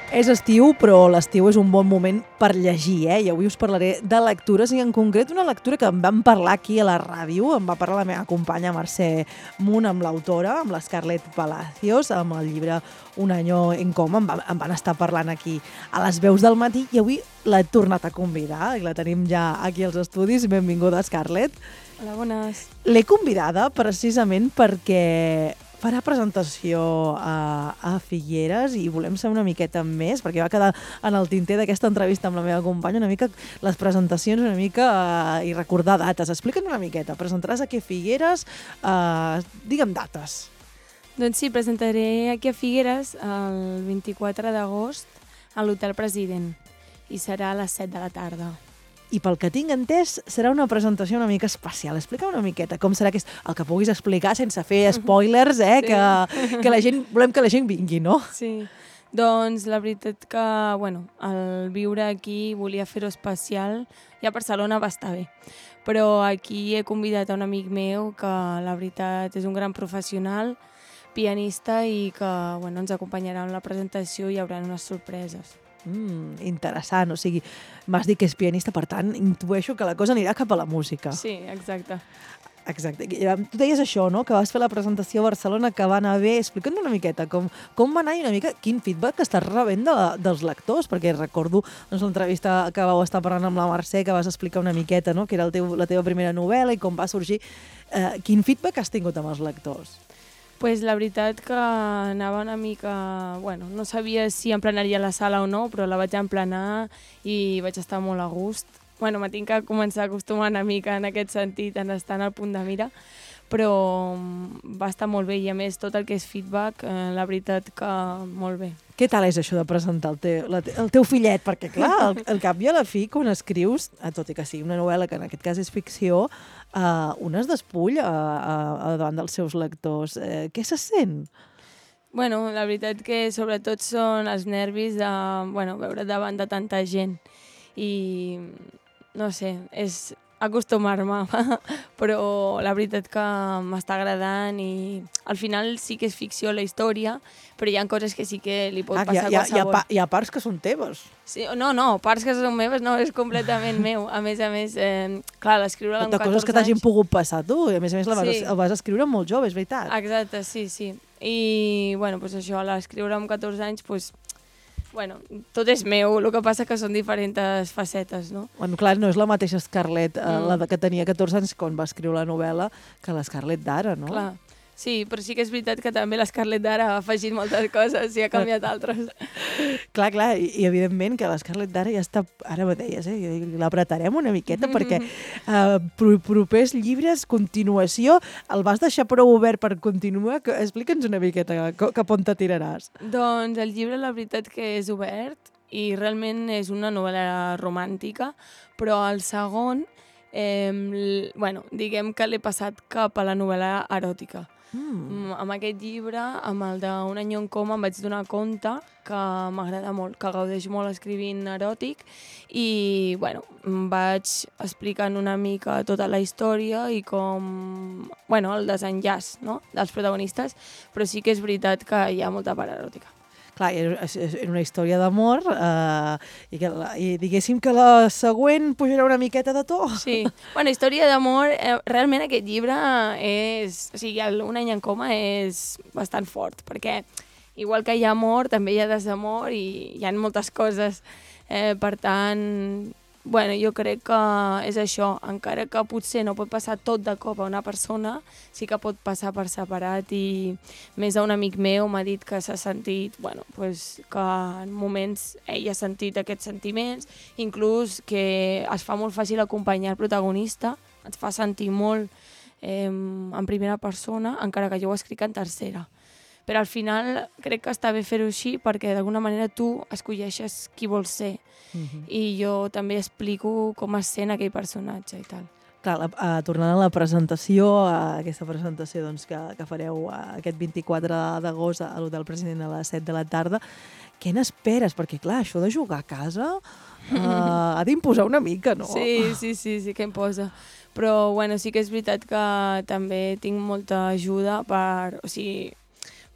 És estiu, però l'estiu és un bon moment per llegir, I avui us parlaré de lectures, i en concret una lectura que em van parlar aquí a la ràdio, em va parlar la meva companya Mercè Munt, amb l'autora, amb l'Scarlett Palacios, amb el llibre Un año en coma, em van estar parlant aquí a les veus del matí, i avui l'he tornat a convidar, i la tenim ja aquí als estudis. Benvinguda, Scarlett. Hola, bones. L'he convidada precisament perquè farà presentació a Figueres i volem saber una miqueta més, perquè va quedar en el tinter d'aquesta entrevista amb la meva companya una mica les presentacions, una mica i recordar dates. Explica'n una miqueta. Presentaràs aquí a Figueres, digue'm dates. Doncs sí, presentaré aquí a Figueres el 24 d'agost a l'Hotel President i serà a les 7 de la tarda. I pel que tinc entès, serà una presentació una mica especial. Explica una miqueta com serà el que puguis explicar sense fer spoilers, Sí. que la gent, volem que la gent vingui, no? Sí, doncs la veritat que, el viure aquí volia fer-ho especial. Ja a Barcelona va estar bé, però aquí he convidat a un amic meu que la veritat és un gran professional, pianista, i que ens acompanyarà en la presentació i hi haurà unes sorpreses. Interessant, o sigui, m'has dit que és pianista, per tant, intueixo que la cosa anirà cap a la música. Sí, exacte. Exacte. Tu deies això, no?, que vas fer la presentació a Barcelona, que va anar bé. Explica'ns una miqueta com va anar i una mica quin feedback estàs rebent dels lectors, perquè recordo l'entrevista que vau estar parlant amb la Mercè, que vas explicar una miqueta, no?, que era la teva primera novel·la i com va sorgir. Quin feedback has tingut amb els lectors? Pues la veritat que anava una mica... no sabia si emplenaria la sala o no, però la vaig emplenar i vaig estar molt a gust. Me tinc que començar a acostumar una mica en aquest sentit, en estar en el punt de mira, però va estar molt bé, i a més tot el que és feedback, la veritat que molt bé. Què tal és això de presentar el teu fillet? Perquè, clar, al cap i a la fi, quan escrius, tot i que sigui una novel·la, que en aquest cas és ficció, un es despull davant dels seus lectors. Què se sent? La veritat que sobretot són els nervis de veure davant de tanta gent. I no sé, és acostumar-me, però la veritat que m'està agradant, i al final sí que és ficció la història, però hi ha coses que sí que li pot passar a qualsevol. Hi ha parts que són teves. Sí, no, parts que són meves no, és completament meu. A més, clar, l'escriure-la amb 14 anys... De coses que t'hagin pogut passar tu, i a més la vas escriure molt jove, és veritat. Exacte, sí. I, això, l'escriure amb 14 anys, tot és meu, el que passa que són diferents facetes, no? Clar, no és la mateixa Scarlett, la que tenia 14 anys quan va escriure la novel·la, que la Scarlett d'ara, no? Clar, sí, però sí que és veritat que també la Scarlett d'ara ha afegit moltes coses i ha canviat altres. Clar, i evidentment que la Scarlett d'ara ja està, ara ho deies, l'apretarem una miqueta, perquè propers llibres, continuació, el vas deixar prou obert per continuar? Explica'ns una miqueta cap on te tiraràs. Doncs el llibre, la veritat que és obert, i realment és una novel·la romàntica, però el segon, diguem que l'he passat cap a la novel·la eròtica. Amb aquest llibre, amb el d'Un año en coma, em vaig donar compte que m'agrada molt, que gaudeix molt escrivint eròtic, i em vaig explicant una mica tota la història i com el desenllaç, no?, dels protagonistes, però sí que és veritat que hi ha molta part eròtica. Clar, és una història d'amor, i diguéssim que la següent pujarà una miqueta de to. Sí, història d'amor, realment aquest llibre és... O sigui, Un any en coma és bastant fort, perquè igual que hi ha amor, també hi ha desamor i hi ha moltes coses. Per tant, jo crec que és això, encara que potser no pot passar tot de cop a una persona, sí que pot passar per separat, i més a un amic meu m'ha dit que s'ha sentit, que en moments ell ha sentit aquests sentiments, inclús que es fa molt fàcil acompanyar el protagonista, et fa sentir molt en primera persona, encara que jo ho escric en tercera. Però al final crec que està bé fer-ho així, perquè d'alguna manera tu escolleixes qui vols ser. I jo també explico com es sent aquell personatge i tal. Clar, tornant a la presentació, aquesta presentació que fareu aquest 24 d'agost a l'Hotel President a les 7 de la tarda, què n'esperes? Perquè, clar, això de jugar a casa ha d'imposar una mica, no? Sí que imposa. Però, sí que és veritat que també tinc molta ajuda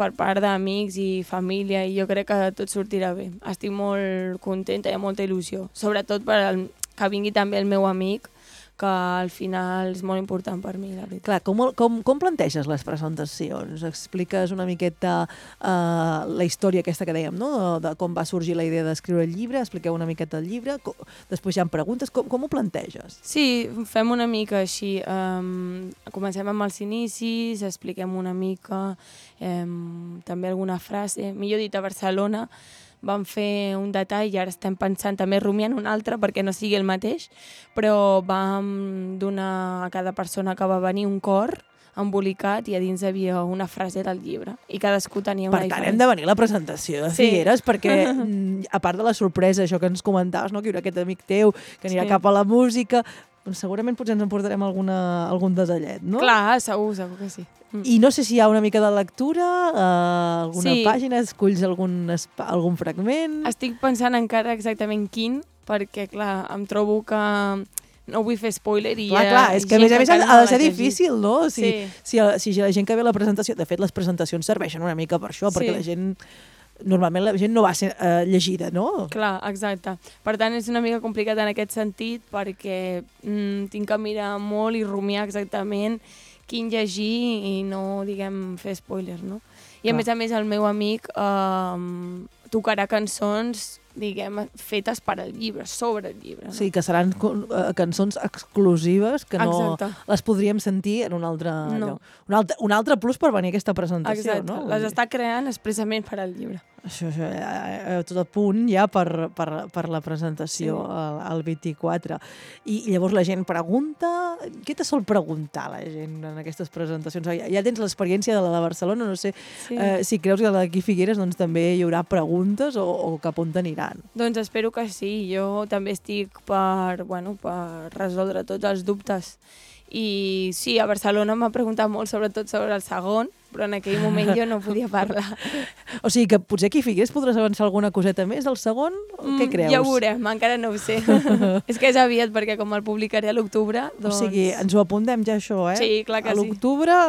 per part d'amics i família, i jo crec que tot sortirà bé. Estic molt contenta i amb molta il·lusió, sobretot que vingui també el meu amic, que al final és molt important per mi, la veritat. Clar, com planteges les presentacions? Expliques una miqueta la història aquesta que dèiem, no? De com va sorgir la idea d'escriure el llibre, expliqueu una miqueta el llibre, després hi ha preguntes, com ho planteges? Sí, fem una mica així. Comencem amb els inicis, expliquem una mica, també alguna frase. Millor dit, a Barcelona vam fer un detall i ara estem pensant també rumiant un altre perquè no sigui el mateix, però vam donar a cada persona que va venir un cor embolicat i a dins hi havia una frase del llibre i cadascú tenia una diferent. Per tant, hem de venir a la presentació de Figueres perquè, a part de la sorpresa, això que ens comentaves, no? Que hi haurà aquest amic teu que anirà cap a la música, doncs segurament potser ens emportarem algun detallet, no? Clar, segur que sí. I no sé si hi ha una mica de lectura, alguna pàgina, esculls algun fragment... Estic pensant encara exactament quin, perquè, clar, em trobo que no vull fer spoiler i clar, és que a més ha de ser difícil, no? Si la gent que ve a la presentació... De fet, les presentacions serveixen una mica per això, perquè la gent... Normalment la gent no va ser llegida, no? Clar, exacte. Per tant, és una mica complicat en aquest sentit perquè tinc que mirar molt i rumiar exactament quin llegir i no, diguem, fer spoilers, no? I a més, el meu amic tocarà cançons, diguem, fetes per al llibre, sobre el llibre. No? Sí, que seran cançons exclusives que no les podríem sentir en un altre lloc. Un altre plus per venir a aquesta presentació, no? Les està creant expressament per al llibre. Això, tot a punt ja per la presentació el 24. I llavors la gent pregunta... Què te sol preguntar la gent en aquestes presentacions? Ja tens l'experiència de la de Barcelona, no sé si creus que a d'aquí Figueres doncs, també hi haurà preguntes o cap on t'aniran. Doncs espero que sí. Jo també estic per resoldre tots els dubtes. I sí, a Barcelona m'ha preguntat molt, sobretot sobre el segon, però en aquell moment jo no podia parlar. O sigui que potser aquí a Figueres podràs avançar alguna coseta més del segon? Què creus? Ja ho veurem, encara no ho sé. És que és aviat, perquè com el publicaré a l'octubre... O sigui, ens ho apuntem ja això, eh? Sí, clar que sí. A l'octubre,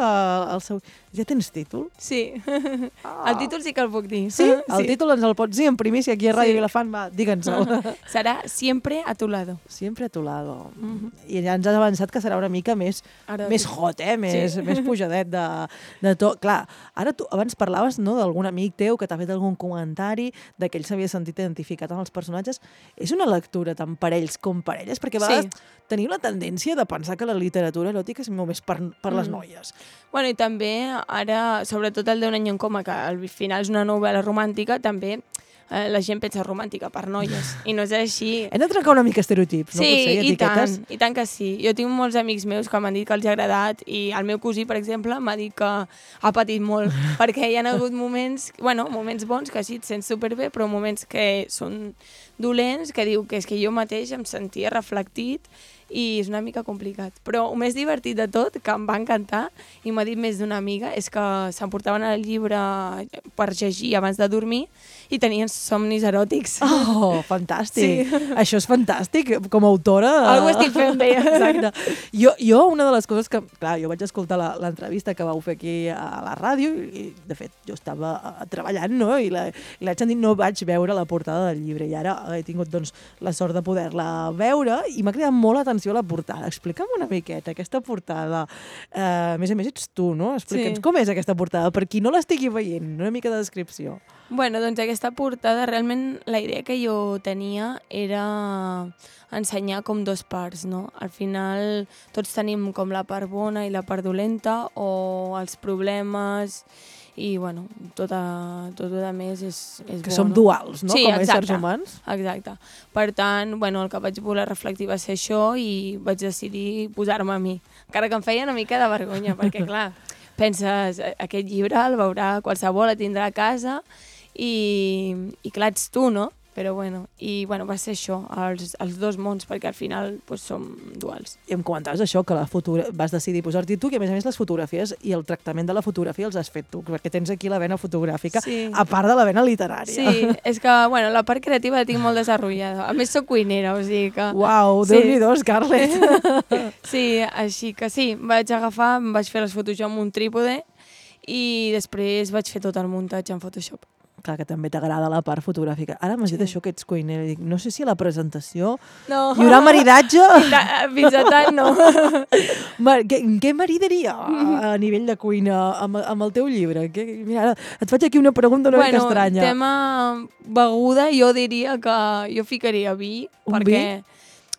ja tens títol? Sí. El títol sí que el puc dir. Sí? El títol ens el pots dir en primícia aquí a Ràdio Vilafant? Va, digue'ns-el. Serà Siempre a tu lado. Siempre a tu lado. I ja ens has avançat que serà una mica més hot, més pujadet de tot. Clar, ara tu abans parlaves d'algun amic teu que t'ha fet algun comentari que ell s'havia sentit identificat amb els personatges. És una lectura tant per ells com per elles? Perquè a vegades tenim la tendència de pensar que la literatura eròtica és només per les noies. Bueno, i també ara, sobretot el d'un any en coma, que al final és una novel·la romàntica, també la gent pensa romàntica per noies, i no és així. Hem de trencar una mica estereotips, no? Sí, i tant que sí. Jo tinc molts amics meus que m'han dit que els ha agradat, i el meu cosí, per exemple, m'ha dit que ha patit molt, perquè hi ha hagut moments bons, que sí, et sents superbé, però moments que són dolents, que diu que és que jo mateix em sentia reflectit, i és una mica complicat. Però el més divertit de tot, que em va encantar, i m'ha dit més d'una amiga, és que s'emportaven el llibre per llegir abans de dormir i tenien somnis eròtics. Oh, fantàstic! Sí. Això és fantàstic, com a autora. Algo estic fent bé. Exacte. Jo, una de les coses que... Clar, jo vaig escoltar l'entrevista que vau fer aquí a la ràdio i, de fet, jo estava treballant, no? I l'haig sentit, no vaig veure la portada del llibre, i ara he tingut doncs, la sort de poder-la veure i m'ha cridat molt l'atenció a la portada. Explica'm una miqueta aquesta portada. A més, ets tu, no? Explica'ns com és aquesta portada, per qui no l'estigui veient, una mica de descripció. Bueno, doncs aquesta portada, realment la idea que jo tenia era ensenyar com dos parts, no? Al final tots tenim com la part bona i la part dolenta, o els problemes, i bueno, tot a més és que bo, som duals, no? Sí, com a éssers humans. Exacte. Per tant, bueno, el que vaig voler reflectir va ser això, i vaig decidir posar-me a mi. Encara que em feia una mica de vergonya, perquè clar, penses, aquest llibre el veurà qualsevol, el tindrà a casa, i clar, ets tu, no? Però bueno, va ser això, els dos mons, perquè al final doncs, som duals. I em comentaves això, que vas decidir posar-t'hi tu, que a més les fotografies i el tractament de la fotografia els has fet tu, perquè tens aquí la vena fotogràfica, a part de la vena literària. Sí, és que la part creativa la tinc molt desenvolupada. A més, soc cuinera, o sigui que... Uau, Déu-n'hi-do, Scarlett! Sí, així que sí, em vaig fer les fotos jo amb un trípode, i després vaig fer tot el muntatge en Photoshop. Clar, que també t'agrada la part fotogràfica. Ara m'has dit això que ets cuiner. Dic, no sé si a la presentació hi haurà maridatge. Fins a tant, no. Què maridaria a nivell de cuina amb el teu llibre? Mira, ara et faig aquí una pregunta una mica estranya. Tema beguda, jo diria que jo ficaria vi, perquè,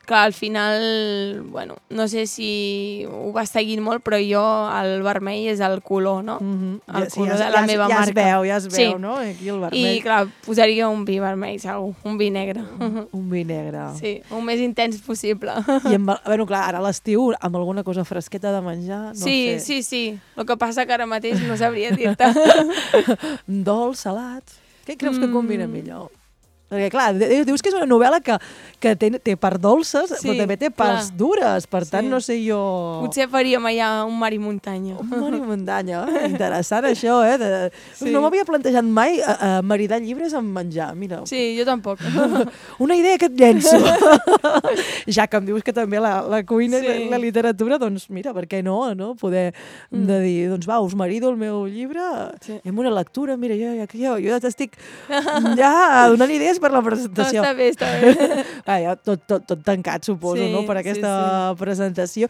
clar, al final, bueno, no sé si ho vas seguint molt, però jo el vermell és el color, no? El color de la meva marca. Ja es veu, no? Aquí el vermell. I, clar, posaria un vi vermell, segur, un vi negre. Un vi negre. Sí, un més intens possible. I, bueno, clar, ara a l'estiu, amb alguna cosa fresqueta de menjar, no sé. Sí. El que passa que ara mateix no sabria dir-te. Dolç, salat... Què creus que combina millor? Perquè, clar, dius que és una novel·la que té parts dolces, però també té parts dures. Per tant, no sé jo... Potser faríem allà un mar i muntanya. Un mar i muntanya. Interessant, això, eh? No m'havia plantejat mai maridar llibres amb menjar, mira. Sí, jo tampoc. Una idea que et llenço. Ja que em dius que també la cuina i la literatura, doncs mira, per què no? Poder de dir, doncs va, us marido el meu llibre i amb una lectura, mira, jo ja t'estic donant idees per la presentació. No, està bé. Ja, tot tancat, suposo, no? Per aquesta presentació.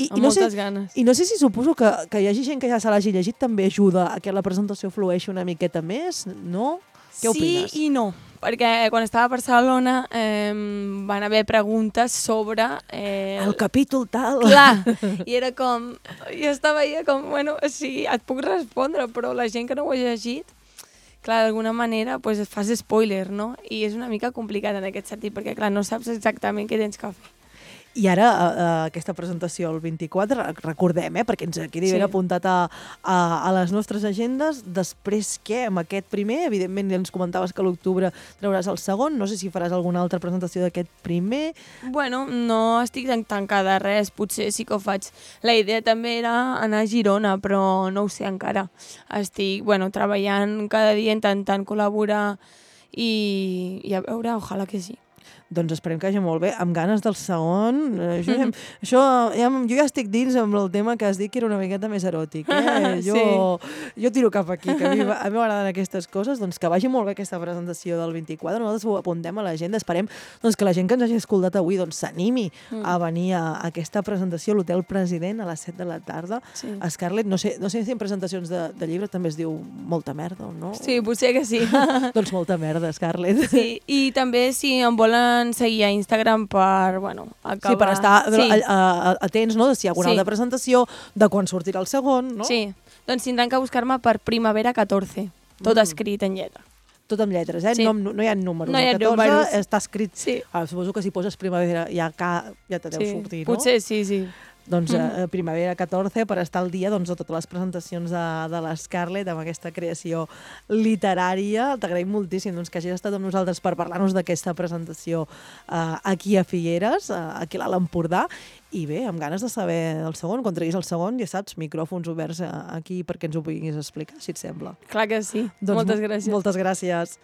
Amb moltes ganes. I no sé si suposo que hi hagi gent que ja se l'hagi llegit també ajuda a que la presentació flueixi una miqueta més, no? Què opines? Sí i no, perquè quan estava a Barcelona van haver preguntes sobre... El capítol tal. Clar, i era com... Jo estava allà com, bueno, sí, et puc respondre, però la gent que no ho ha llegit, clar, d'alguna manera pues, et fas spoiler, no? I és una mica complicat en aquest sentit, perquè clar, no saps exactament què tens que fer. I ara, aquesta presentació el 24, recordem, perquè ens quedi ben apuntat a les nostres agendes. Després què? Amb aquest primer, evidentment ens comentaves que a l'octubre trauràs el segon, no sé si faràs alguna altra presentació d'aquest primer. Bueno, no estic tancada a res, potser sí que ho faig. La idea també era anar a Girona, però no ho sé encara. Estic, treballant cada dia, intentant col·laborar i a veure, ojalà que sí. Doncs esperem que hagi molt bé, amb ganes del segon. Jo ja estic dins amb el tema que has dit que era una miqueta més eròtic. Jo tiro cap aquí, que a mi m'agraden aquestes coses, doncs que vagi molt bé aquesta presentació del 24. Nosaltres ho apuntem a l'agenda, esperem doncs, que la gent que ens hagi escoltat avui s'animi a venir a aquesta presentació a l'Hotel President a les 7 de la tarda. Scarlett, no sé si en presentacions de llibre també es diu molta merda o no? Sí, potser que sí. Doncs molta merda, Scarlett. Sí, i també si em volen seguir a Instagram per, acabar... Sí, per estar atents, no?, de si hi ha alguna altra presentació, de quan sortirà el segon, no? Sí, doncs tindran que buscar-me per Primavera 14, tot escrit en lletra. Tot amb lletres, eh? Sí. No hi ha números. No hi ha 14 números. està escrit... Sí. Suposo que si poses Primavera ja te deu sortir, no? Potser sí. Doncs Primavera 14 per estar al dia de totes les presentacions de l'Scarlett amb aquesta creació literària. T'agraïm moltíssim que hagis estat amb nosaltres per parlar-nos d'aquesta presentació aquí a Figueres, aquí a l'Alt Empordà. I bé, amb ganes de saber el segon, quan treguis el segon, ja saps, micròfons oberts aquí perquè ens ho puguis explicar, si et sembla. Clar que sí. Moltes gràcies. Moltes gràcies.